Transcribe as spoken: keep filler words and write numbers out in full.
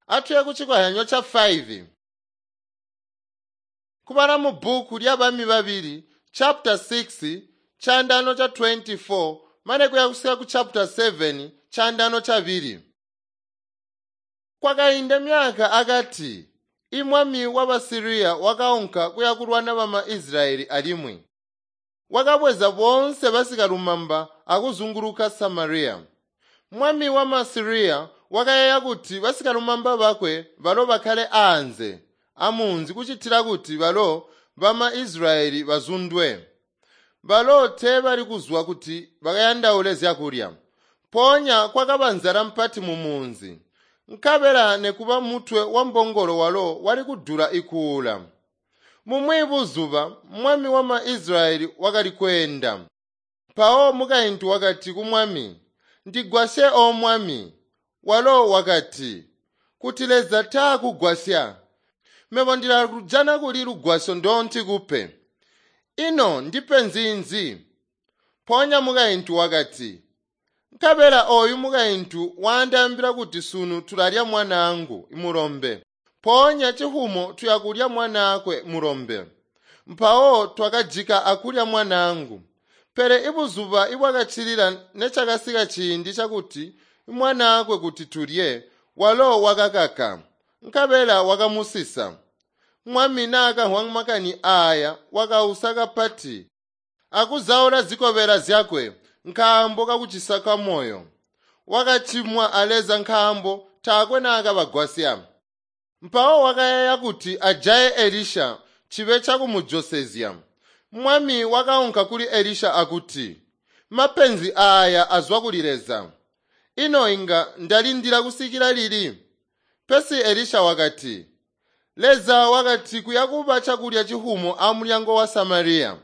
Atuye kucikozyanyo ca five. Kubala mu bbuku lya Bami Babili chapter six chandano cha twenty-four mane kuya kusika ku chapter seven chandano chabili. Kwakainda myaka akati imwami wa Basiriya wakaunka kuya kulwana bama Israyeli alimwi wakabweza boonse basikalumamba akuzunguluka Samariya. Mwami wa Masiriya wakayeeya kuti basikalumamba bakwe balo bakkale aanze amunzi kucitila kuti balo bama Israyeli bazundwe. Balo teebali kuzwa kuti bakayandaule zyakulya. Mpoonya kwakaba nzala mpati mu munzi. Nkabela nekuba mutwe wa mbongolo walo wali kudula ikuula. Mumwi buzuba mwami wa ma-Israyeli wakali kweenda. Mpawo mukaintu wakati ku mwami, "Ndigwasye o mwami." Walo wakati, "Kuti Leza taakugwasya, mebo ndilakujana kuli lugwasyo ndontikupe. Ino ndipe nzinzi?" Mpoonya mukaintu wakati, "Nkabela ooyu mukaintu wandaambila kuti sunu tulalya mwanaangu mulombe, mpoonya cihumo tuyakulya mwanaakwe mulombe. Mpawo twakajika akulya mwanaangu. Pele ibuzuba ibwakaccilila necakasika ciindi cakuti mwanaakwe kuti tulye, walo wakakaka, nkabela wakamusisa." Mwami naakamvwa makani aaya wakausa kapati akuzaula zikobela zyakwe nkaambo kakucisa kwamoyo. Wakacimwa a Leza nkaambo taakwe naakabagwasya. Mpawo wakayeeya kuti ajaye Elisha cibe cakumujosezya. Mwami wakaunka kuli Elisha akuti, "Mapenzi aaya azwa kuli Leza. Ino inga ndalindila kusikila lili?" Pesi Elisha wakati, "Leza wakati kuyakuba cakulya cihumo amulyango wa Samariya."